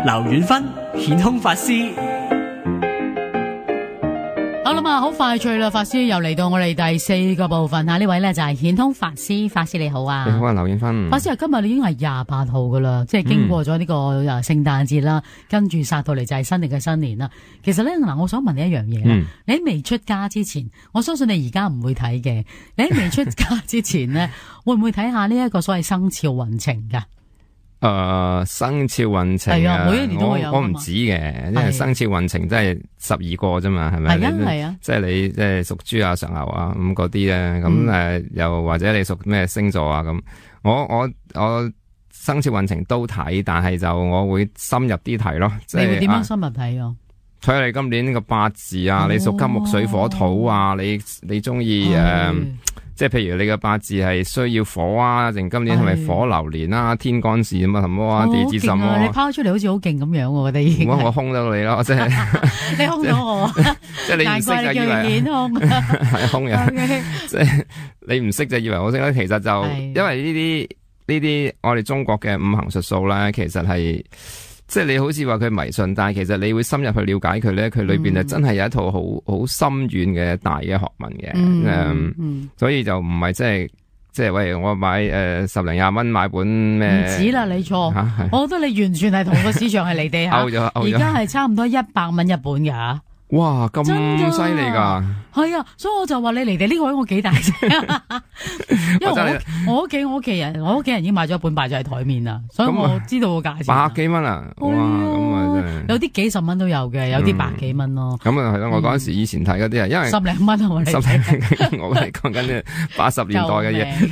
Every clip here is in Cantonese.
劉遠芬顯空法師。好啦嘛，好快脆啦，法師又嚟到我哋第4個部分吓，呢位咧就係顯空法師，法師你好啊。你好啊，劉遠芬。法師啊，今日你已經係28號噶啦，即係經過咗呢個聖誕節啦，跟住殺到嚟就係新曆嘅新年啦。其實咧嗱，我想問你一樣嘢啦，你喺未出家之前，我相信你而家唔會睇嘅，你喺未出家之前咧，會唔會睇下呢一個所謂生肖運程噶？生肖運程係啊，每一年都會有。我唔止嘅，因為生肖運程真係12個啫嘛，係咪？係啊，即係你即係屬豬啊、屬牛啊咁嗰啲咧，咁又或者你屬咩星座啊咁，我生肖運程都睇，但係就我會深入啲睇咯。你會點樣深入睇啊？睇下你今年個八字啊，你屬金木水火土啊，你中意即係譬如你嘅八字係需要火啊，定今年係咪火流年啊？天干是咁啊，什麼啊？地支什麼？你拋出嚟好似好勁咁樣，我覺得已經。我兇到你咯，即係你兇到我，即係你唔識就以為顯兇，係兇人。即係你唔識就以為我識啦，其實就因為呢啲我哋中國嘅五行術數咧，其實係。即係你好似話佢迷信，但係其實你會深入去了解佢咧，佢裏邊真係有一套好深遠嘅大嘅學問嘅，所以就唔係即係喂我買10零20蚊買本咩？唔止啦，你錯，我覺得你完全係同個市場係離地下，而家係差唔多100蚊一本㗎。哇，咁犀利噶！係啊，所以我就話你離地呢個位我幾大聲，因為我屋企人已經買咗一本擺咗喺台面啦，所以我知道個價錢。100幾蚊啊！哇，咁啊真係有啲幾十蚊都有嘅，有啲100幾蚊咯。咁啊係咯，我嗰陣時以前睇嗰啲啊，因為10零蚊啊，我係講緊80年代嘅嘢。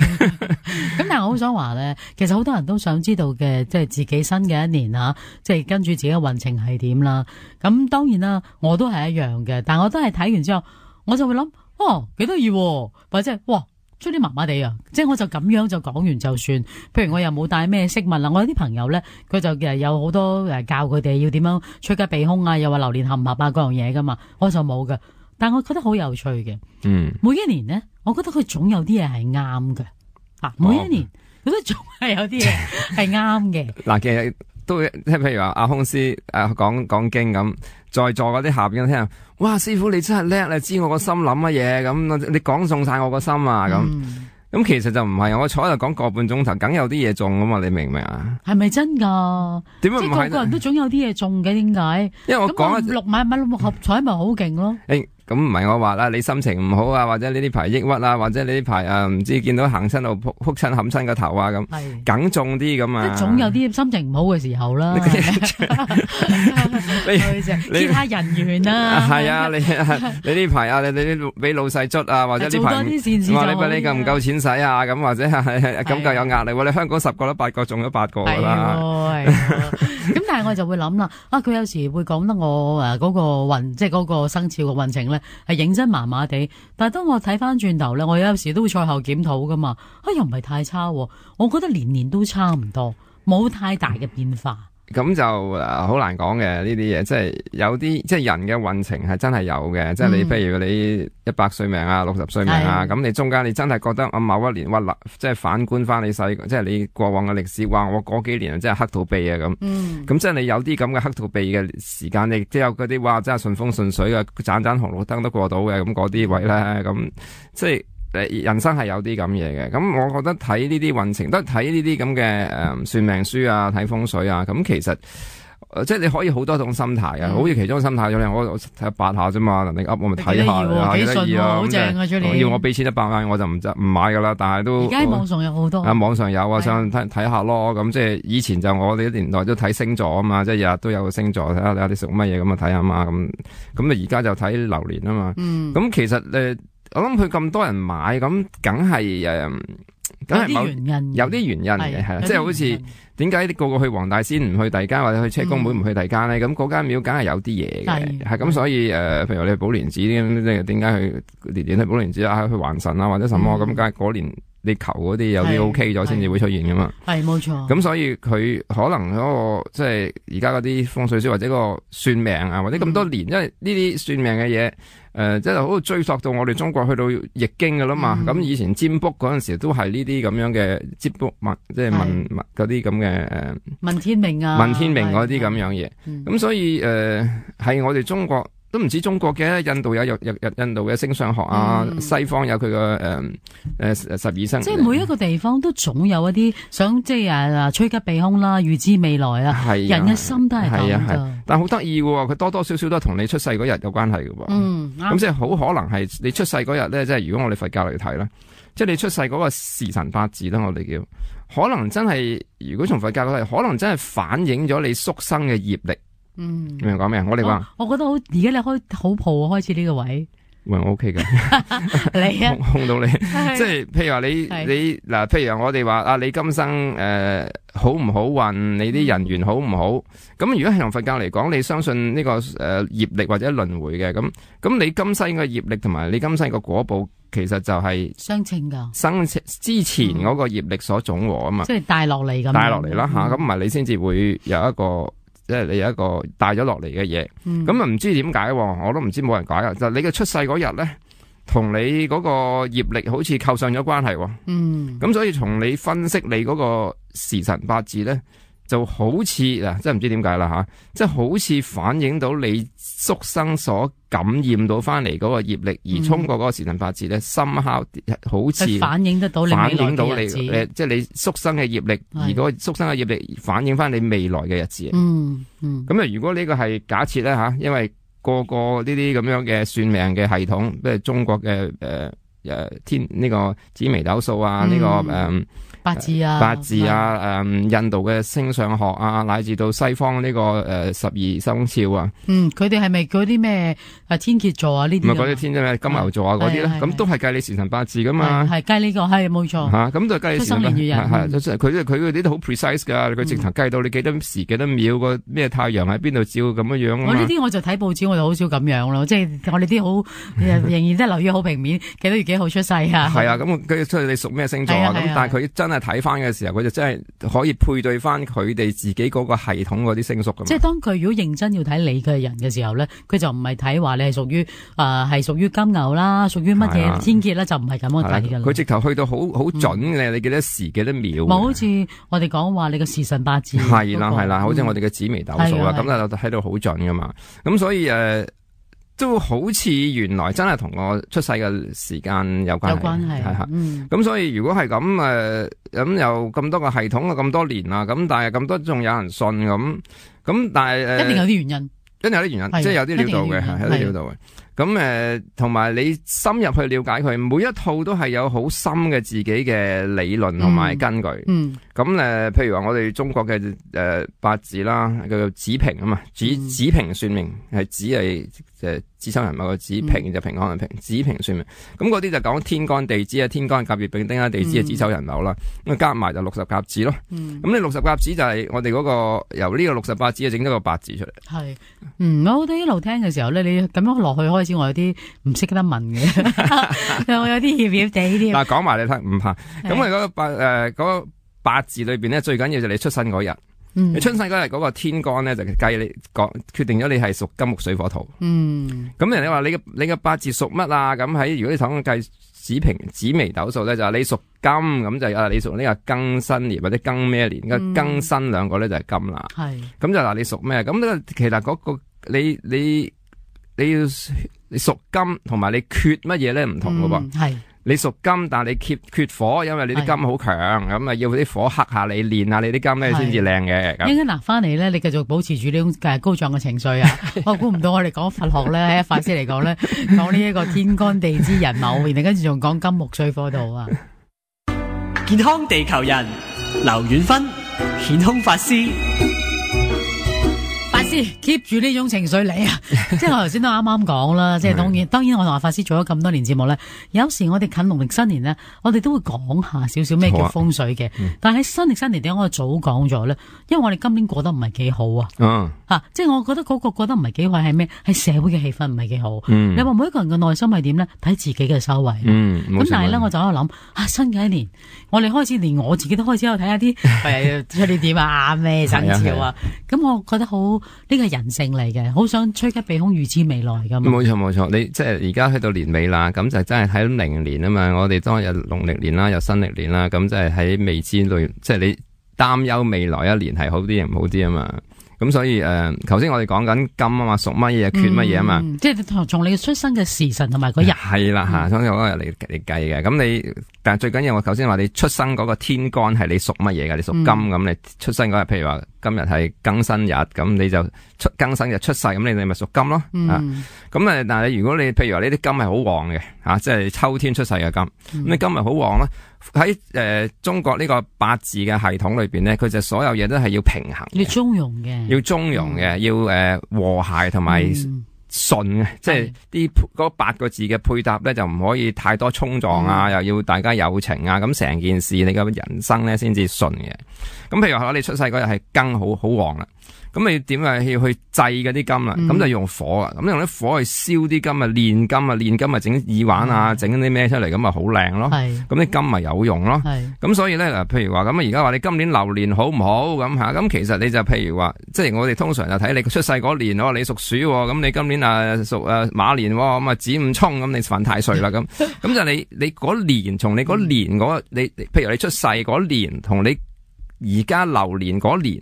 咁但係我好想話咧，其實好多人都想知道嘅，即係自己新嘅一年吓，即係跟住自己嘅運程係點啦。咁當然啦，我都係一樣嘅，但我都係睇完之後，我就會諗，哦，幾得意，或者哇，出啲麻麻地啊，即係我就咁樣就講完就算。譬如我又冇帶咩飾物啦，我有啲朋友咧，佢就有好多教佢哋要點樣趨吉避凶啊，又話流年合唔合啊，各樣嘢噶嘛，我就冇㗎。但我覺得好有趣嘅，每一年咧，我覺得佢總有啲嘢係啱嘅。每一年佢都仲係有啲嘢係啱嘅。嗱，其實都即係譬如話阿空師講經咁，在座嗰啲下邊聽，哇！師傅你真係叻，你知我個心諗乜嘢咁，你講中晒我個心啊咁。咁其實就唔係，我坐喺度講個半鐘頭，梗有啲嘢中噶嘛，你明唔明啊？係咪真噶？點解唔係？即係個個人都總有啲嘢中嘅，點解？因為我講買六合彩咪好勁咯。咁唔係我話啦，你心情唔好啊，或者你呢排抑鬱啊，或者你呢排唔知見到行親度撲親冚親個頭啊咁，梗中啲咁啊！即係總有啲心情唔好嘅時候啦。你見下人緣啊！係啊，你呢排啊，你俾老細捽啊，或者呢排做多啲善事就好。你夠唔夠錢使啊？咁或者係咁夠有壓力喎？你香港10個都8個中咗8個㗎啦。咁但係我就會諗啦，佢有時會講得我嗰個運，即係嗰個生肖嘅運程咧，係認真麻麻地。但係當我睇翻轉頭咧，我有時都會賽後檢討噶嘛，又唔係太差，我覺得年年都差唔多，冇太大嘅變化。咁就好難講嘅呢啲嘢，即係有啲即係人嘅運程係真係有嘅，即係你譬如你100歲命啊、60歲命啊，咁你中間你真係覺得某一年即係反觀翻你細，即係你過往嘅歷史，話我嗰幾年真係黑土鼻啊咁，咁即係你有啲咁嘅黑土鼻嘅時間，你即係有嗰啲話真係順風順水嘅，盞紅綠燈都過到嘅，咁嗰啲位咧，咁即係。人生係有啲咁嘢嘅，咁我覺得睇呢啲運程都係睇呢啲咁嘅算命書啊，睇風水啊，咁其實即係你可以好多種心態嘅，好似其中心態咗我睇下8下啫嘛，你噏我咪睇下，幾得意啊，好正啊，要我俾錢100萬我就唔買噶啦，但係都而家網上有好多網上有啊，想睇下咯，咁即係以前就我哋啲年代都睇星座啊嘛，即係日日都有個星座睇下你屬乜嘢咁啊睇下嘛，咁而家就睇流年啊嘛，咁其實我諗佢咁多人買，咁梗係有啲原因嘅，係啦，即係好似點解個個去黃大仙唔去第二間，或者去車公廟唔去第二間咧？咁嗰間廟梗係有啲嘢嘅，係咁，所以譬如你寶蓮寺咁，即係點解去年年去寶蓮寺啊，去還神啊，或者什麼咁，梗係嗰年你求嗰啲有啲 OK 咗先至會出現噶嘛。係冇錯。咁所以佢可能嗰個即係而家嗰啲風水師或者個算命啊，或者咁多年，因為呢啲算命嘅嘢。即係好追溯到我哋中國去到易經噶啦嘛，咁以前占卜嗰陣時都係呢啲咁樣嘅占卜即係問嗰啲咁嘅問天命啊，問天命嗰啲咁樣嘢，咁所以係我哋中國都唔止中國嘅，印度有印度嘅星相學啊，西方有佢個12生，即係每一個地方都總有一啲想即係趨吉避凶啦，預知未來啊，人嘅心都係咁噶。但係好得意喎，佢多多少少都係同你出世嗰日有關係嘅喎。咁即係好可能係你出世嗰日咧，即係如果我哋佛教嚟睇啦，即係你出世嗰個時辰八字啦，我哋叫可能真係，如果從佛教嚟睇，可能真係反映咗你宿生嘅業力。明唔明講咩啊？我哋話，我覺得好，而家你好蒲開始呢個位。喂，我 OK 嘅，你啊，控到你，即係譬如話你嗱，譬如話我哋話啊，你今生好唔好運，你啲人緣好唔好？咁如果係從佛教嚟講，你相信呢個業力或者輪迴嘅，咁你今生嘅業力同埋你今生嘅果報，其實就係相稱噶，生之前嗰個業力所總和啊嘛，即係帶落嚟咁，帶落嚟啦吓，咁唔係你先至會有一個。即係你有一個帶咗落嚟嘅嘢，咁啊唔知點解，我都唔知冇人解啊！就你嘅出世嗰日咧，同你嗰個業力好似扣上咗關係，咁所以從你分析你嗰個時辰八字咧，就好似嗱，真係唔知點解啦吓，即係好似反映到你宿生所感染到翻嚟嗰個業力，而通過嗰個時辰八字咧，深刻好似反映得到你未來嘅日子，即係你宿生嘅業力，而嗰個宿生嘅業力反映翻你未來嘅日子。咁啊，如果呢個係假設咧吓，因為個個呢啲咁樣嘅算命嘅系統，即係中國嘅天呢個紫微斗數啊，呢個八字啊，印度嘅星相學啊，乃至到西方呢個12生肖啊，佢哋係咪嗰啲咩天蠍座啊呢啲？唔係嗰啲天咩金牛座啊嗰啲咧，咁都係計你時辰八字噶嘛，係計呢個係冇錯吓，咁就計你時辰八字，係佢嗰啲都好 precise 噶，佢直頭計到你幾多時幾多秒個咩太陽喺邊度照咁樣樣。我呢啲我就睇報紙，我就好少咁樣咯，即係我哋啲好仍然都係留意好平面，幾多月幾號出世啊？係啊，咁佢出你屬咩星座啊？咁但係佢真係睇翻嘅時候，佢就真係可以配對翻佢哋自己嗰個系統嗰啲星宿咁。即係當佢如果認真要睇你嘅人嘅時候咧，佢就唔係睇話你係屬於係屬於金牛啦，屬於乜嘢天蠍啦，就唔係咁樣睇噶啦。佢直頭去到好準嘅，你幾多時幾多秒？好似我哋講話你嘅時辰八字。係啦，好似我哋嘅紫微斗數啦，咁就睇到好準噶嘛。咁所以都好似原來真係同我出世嘅時間有關係，係咁所以如果係咁咁有咁多個系統啊，咁多年啦，咁但係咁多仲有人信咁但係一定有啲原因，一定有啲原因，即係有啲料到嘅，係有啲料到嘅。咁同埋你深入去了解佢，每一套都係有好深嘅自己嘅理論同埋根據。咁譬如話我哋中國嘅八字啦，叫做子平啊嘛，子平算命係子係子丑寅卯個子，平就平安嘅平，子平算命。咁嗰啲就講天干地支啊，天干甲乙丙丁啊，地支啊子丑寅卯啦，咁加埋就60甲子咯。咁你60甲子就係我哋嗰個由呢個68子整咗個八字出嚟。係，我哋一路聽嘅時候咧，你咁樣落去開始，我有啲唔識得問嘅，我有啲怯怯地添。嗱，講埋你聽，唔怕。咁我嗰個八字裏邊咧，最緊要就係你出生嗰日。你出生嗰日嗰個天干咧，就計你決定咗你係屬金木水火土。咁人哋話你嘅八字屬乜啊？咁喺如果你睇計紫微斗數咧，就係你屬金，咁就你屬呢個庚申年或者庚咩年？個庚申兩個咧就係金啦。係咁就嗱，你屬咩？咁呢個其實嗰個你屬金同埋你缺乜嘢咧唔同噶噃。係。你屬金，但係你缺火，因為你啲金好強，咁啊要啲火克下你，練下你啲金咧先至靚嘅。應該嗱翻嚟咧，你繼續保持住呢種高漲嘅情緒啊！我估唔到我哋講佛學咧，喺法師嚟講咧，講呢一個天干地支人卯，然後跟住仲講金木水火土啊！健康地球人劉遠芬，顯空法師。法師師 keep 住呢種情緒嚟啊！即係我頭先都啱啱講啦，即係當然我同阿法師做咗咁多年節目咧，有時我哋近農曆新年咧，我哋都會講下少少咩叫風水嘅。但係喺新曆新年點解我早講咗咧？因為我哋今年過得唔係幾好啊！即係我覺得嗰個過得唔係幾好係咩？係社會嘅氣氛唔係幾好。你話每一個人嘅內心係點咧？睇自己嘅修為。咁但係咧，我就喺度諗新嘅一年，我哋開始連我自己都開始喺度睇下啲出年點啊咩生肖啊，咁我覺得好呢個係人性嚟嘅，好想趨吉避凶預知未來㗎嘛。冇錯，你即係而家去到年尾啦，咁就真係睇到明年啊嘛。我哋當日農曆年啦，有新曆年啦，咁即係喺未知裏，即係你擔憂未來一年係好啲定唔好啲啊嘛。咁所以頭先我哋講緊金啊嘛，屬乜嘢缺乜嘢啊嘛，即係從你出生嘅時辰同埋嗰日係啦吓，從嗰日嚟計嘅。咁但係最緊要我頭先話你出生嗰個天干係你屬乜嘢嘅，你屬金咁，你出生嗰日，譬如話今日係庚辛日，咁你就庚辛日出世，咁你咪屬金咯。咁但係如果你譬如話呢啲金係好旺嘅即係秋天出世嘅金，咁你金係好旺啦。喺中國呢個八字嘅系統裏邊咧，佢就所有嘢都係要平衡，要中庸嘅，要和諧同埋順嘅，即係啲嗰8個字嘅配搭咧就唔可以太多衝撞啊，又要大家有情啊，咁成件事你嘅人生咧先至順嘅。咁譬如話你出世嗰日係庚好旺啦。咁你點啊？要去制嗰啲金啦，咁就用火啊，咁用啲火去燒啲金啊，煉金啊，整耳環啊，整啲咩出嚟，咁咪好靚咯。咁啲金咪有用咯。咁所以咧嗱，譬如話咁而家話你今年流年好唔好咁吓？咁其實你就譬如話，即係我哋通常就睇你出世嗰年，你屬鼠，咁你今年屬馬年，咁啊子午衝，咁你犯太歲啦咁。咁就你嗰年，從你嗰年你譬如你出世嗰年同你而家流年嗰年，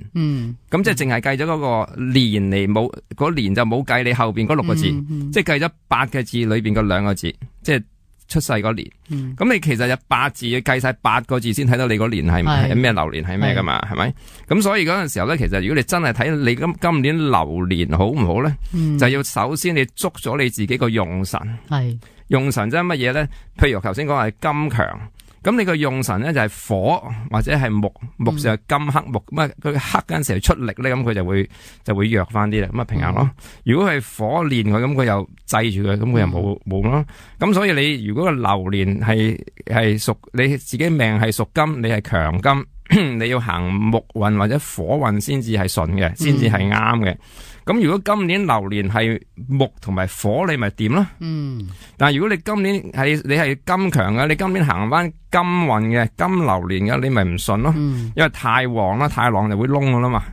咁即係淨係計咗嗰個年嚟，冇嗰年就冇計你後邊嗰6個字，即係計咗8個字裏邊嗰2個字，即係出世嗰年。咁你其實有8字要計晒8個字先睇到你嗰年係咩流年係咩噶嘛？係咪？咁所以嗰陣時候咧，其實如果你真係睇你今年流年好唔好咧，就要首先你捉咗你自己個用神。用神即係乜嘢咧？譬如頭先講係金強。咁你個用神咧就係火或者係木就係金克木，咁佢克嗰陣時出力咧，咁佢就會弱翻啲啦，咁啊平衡咯。如果係火練佢，咁佢又制住佢，咁佢又冇咯。咁所以你如果個流年係屬你自己命係屬金，你係強金，你要行木運或者火運先至係順嘅，先至係啱嘅。咁如果今年流年係木同埋火，你咪掂咯。但係如果你今年你係金強嘅，你今年行翻金運嘅金流年嘅，你咪唔順咯。因為太旺啦，太旺就會窿噶啦嘛。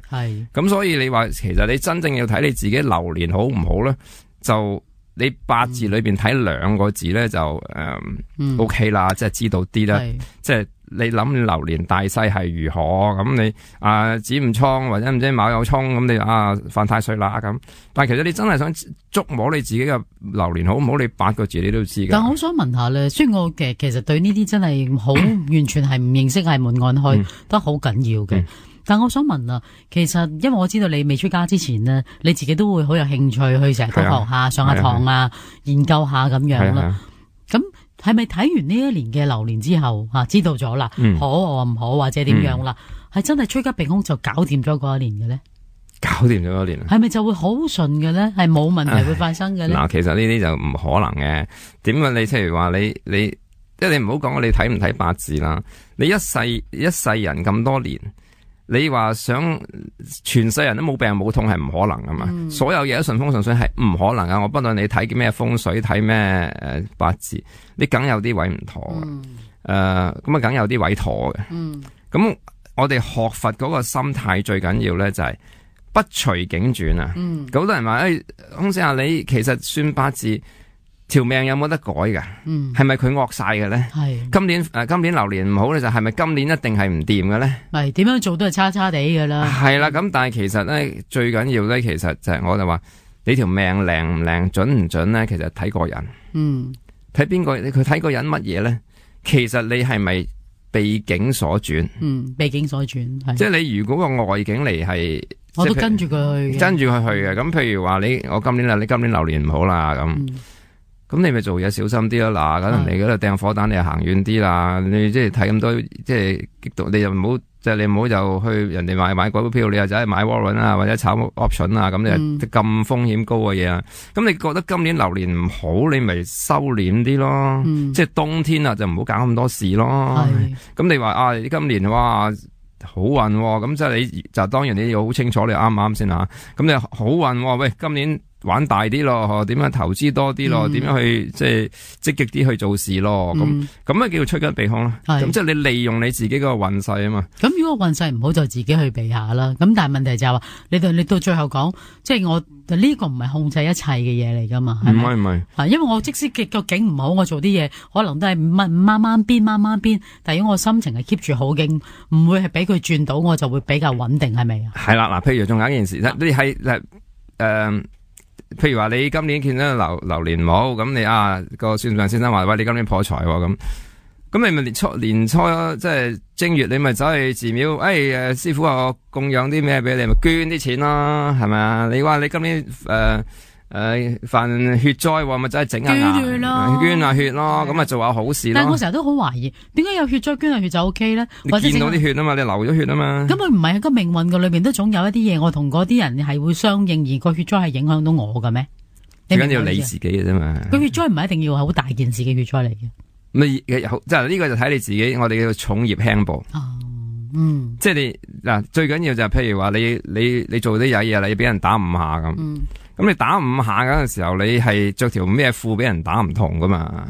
咁所以你話其實你真正要睇你自己流年好唔好咧，就你8字裏邊睇2個字咧就OK 啦，即係知道啲啦，即係。你諗流年大勢係如何咁？你子午衝或者唔知卯酉衝咁，你犯太歲啦咁。但係其實你真係想捉摸你自己嘅流年好唔好？你8個字你都知㗎。但我想問下咧，雖然我其實對呢啲真係好完全係唔認識，係門外漢都好緊要嘅。但我想問啊，其實因為我知道你未出家之前呢，你自己都會好有興趣去成日都學下上下堂研究下咁樣啦。咁係咪睇完呢一年嘅流年之後知道咗啦，好或唔好或者點樣啦，係真係趨吉避凶就搞掂咗嗰一年嘅咧？搞掂咗嗰年係咪就會好順嘅咧？係冇問題會發生嘅咧？嗱，其實呢啲就唔可能嘅。點解你譬如話你即係你唔好講你睇唔睇八字啦，你一世人咁多年。你話想全世人都冇病冇痛係唔可能噶嘛？所有嘢都順風順水係唔可能噶。我不論你睇咩風水，睇咩八字，你梗有啲位唔妥嘅。咁啊，梗有啲位妥嘅。咁我哋學佛嗰個心態最緊要咧就係不隨境轉啊。好多人話空姐啊，你其實算八字。條命有冇得改㗎？係咪佢惡晒嘅咧？今年流年唔好咧，就係咪今年一定係唔掂嘅咧？係點樣做都係差差地㗎啦。係啦，咁但係其實咧最緊要咧，其實就係我就話你條命靚唔靚、準唔準咧？其實睇個人。睇邊個？佢睇個人乜嘢咧？其實你係咪被境所轉？被境所轉。即係你如果個外境嚟係，我都跟住佢去。跟住佢去嘅。咁譬如話你今年流年唔好啦咁。咁你咪做嘢小心啲咯，嗱，咁人哋嗰度掟火彈，你就行遠啲啦。你即係睇咁多，即係激動，你就唔好即係你唔好就去人哋買股票，你又走去買 warrant 啊，或者炒 option 啊，咁你咁風險高嘅嘢啊。咁你覺得今年流年唔好，你咪收斂啲咯。即係冬天啊，就唔好搞咁多事咯。咁你話啊，今年哇好運喎，咁即係你就當然你要好清楚你啱唔啱先吓。咁你好運喎，喂，今年玩大啲咯，點樣投資多啲咯，點樣去即係積極啲去做事咯，咁啊叫趨吉避凶啦。咁即係你利用你自己個運勢啊嘛。咁如果運勢唔好就自己去避下啦。咁但係問題就係話，你到最後講，即係我呢個唔係控制一切嘅嘢嚟噶嘛？唔係，因為我即使個景唔好，我做啲嘢可能都係慢慢變，但係如果我心情係 keep 住好嘅，唔會係俾佢轉到，我就會比較穩定，係咪啊？係啦，嗱，譬如仲有一件事，你係譬如話你今年見到流年唔好，咁你個算命先生話喂，你今年破財喎，咁你咪年初即係正月，你咪走去寺廟，師傅話我供養啲咩俾你，咪捐啲錢咯，係咪啊？你話你今年犯血災，咪走去整下捐下血咯，咁咪做下好事咯。但係我成日都好懷疑，點解有血災捐下血就 OK 咧？你見到啲血啊嘛，你流咗血啊嘛。咁佢唔係喺個命運嘅裏邊都總有一啲嘢，我同嗰啲人係會相應，而個血災係影響到我嘅咩？最緊要你自己嘅啫嘛。個血災唔係一定要好大件事嘅血災嚟嘅。即係呢個就睇你自己，我哋叫重業輕報。即係你嗱，最緊要就係譬如話你做啲曳嘢，你俾人打5下咁。咁你打5下嗰陣時候，你係着條咩褲俾人打唔同噶嘛？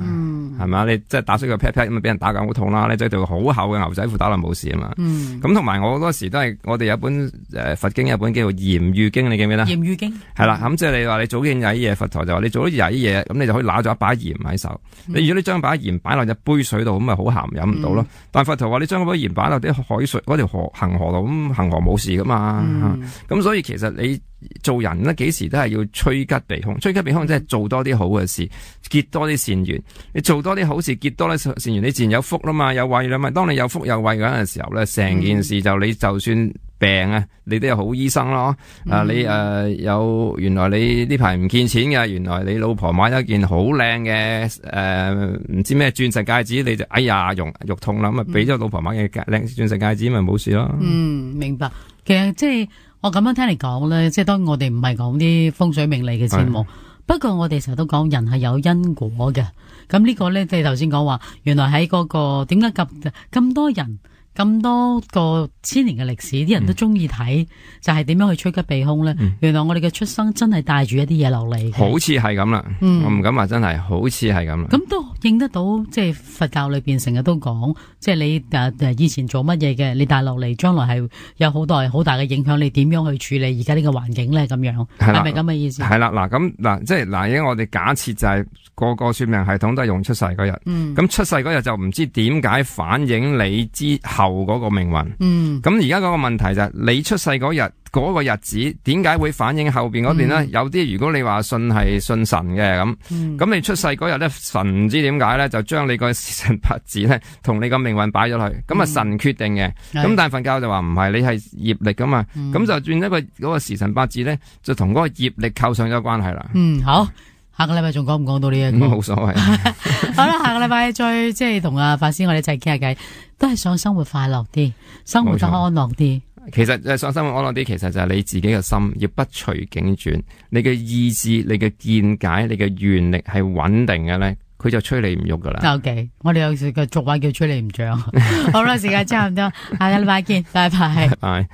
係咪啊？你即係打衰個 pat pat 咁啊，俾人打緊好痛啦！你着條好厚嘅牛仔褲打落冇事啊嘛。咁同埋我好多時都係我哋有本佛經，有本叫做嚴喻經，你記唔記得？嚴喻經係啦，咁即係你話你做件曳嘢，佛陀就話你做咗曳嘢，咁你就可以拿咗一把鹽喺手。你如果你將把鹽擺落隻杯水度，咁咪好鹹，飲唔到咯。但佛陀話你將嗰把鹽擺落啲海水嗰條恒河度，咁恒河冇事噶嘛。咁所以其實你做人咧，幾時都係要趨吉避凶。趨吉避凶即係做多啲好嘅事，結多啲善緣。你做多啲好事，結多啲善緣，你自然有福啦嘛，有慧啦嘛。當你有福有慧嗰陣時候咧，成件事就你就算病啊，你都有好醫生咯。你有原來你呢排唔見錢嘅，原來你老婆買咗件好靚嘅唔知咩鑽石戒指，你就哎呀肉痛啦，咁啊俾咗老婆買嘅靚鑽石戒指，咪冇事咯。明白。其實即係我咁樣聽嚟講咧，即係當然我哋唔係講啲風水命理嘅節目，不過我哋成日都講人係有因果嘅。咁呢個咧，即係頭先講話，原來喺嗰個點解咁多人咁多個千年嘅歷史，啲人都中意睇，就係點樣去趨吉避凶咧？原來我哋嘅出生真係帶住一啲嘢落嚟，好似係咁啦。我唔敢話真係，好似係咁啦。咁都應得到，即係佛教裏邊成日都講，即係你以前做乜嘢嘅，你帶落嚟，將來係有好大嘅影響。你點樣去處理而家呢個環境咧？咁樣係咪咁嘅意思？係啦，嗱，即係嗱，而家我哋假設就係個個算命系統都係用出世嗰日，咁出世嗰日就唔知點解反映你之後嗰個命運。咁而家嗰個問題就係你出世嗰日嗰個日子，點解會反映後邊嗰邊咧？有啲如果你話信神嘅咁你出世嗰日咧，神唔知點解咧，就將你個時辰八字咧同你個命運擺咗去，咁啊神決定嘅。咁但係佛教就話唔係，你係業力噶嘛，咁就轉一個嗰個時辰八字咧，就同嗰個業力扣上咗關係啦。好。下個禮拜仲講唔講到呢一個？冇所謂。好啦，下個禮拜再即係同阿法師我哋一齊傾下偈，都係想生活快樂啲，生活得安樂啲。其實想生活安樂啲，其實就係你自己嘅心要不隨境轉，你嘅意志、你嘅見解、你嘅願力係穩定嘅咧，佢就吹你唔喐噶啦。OK， 我哋有時嘅俗話叫吹你唔脹。好啦，時間差唔多，下個禮拜見，拜拜。拜拜。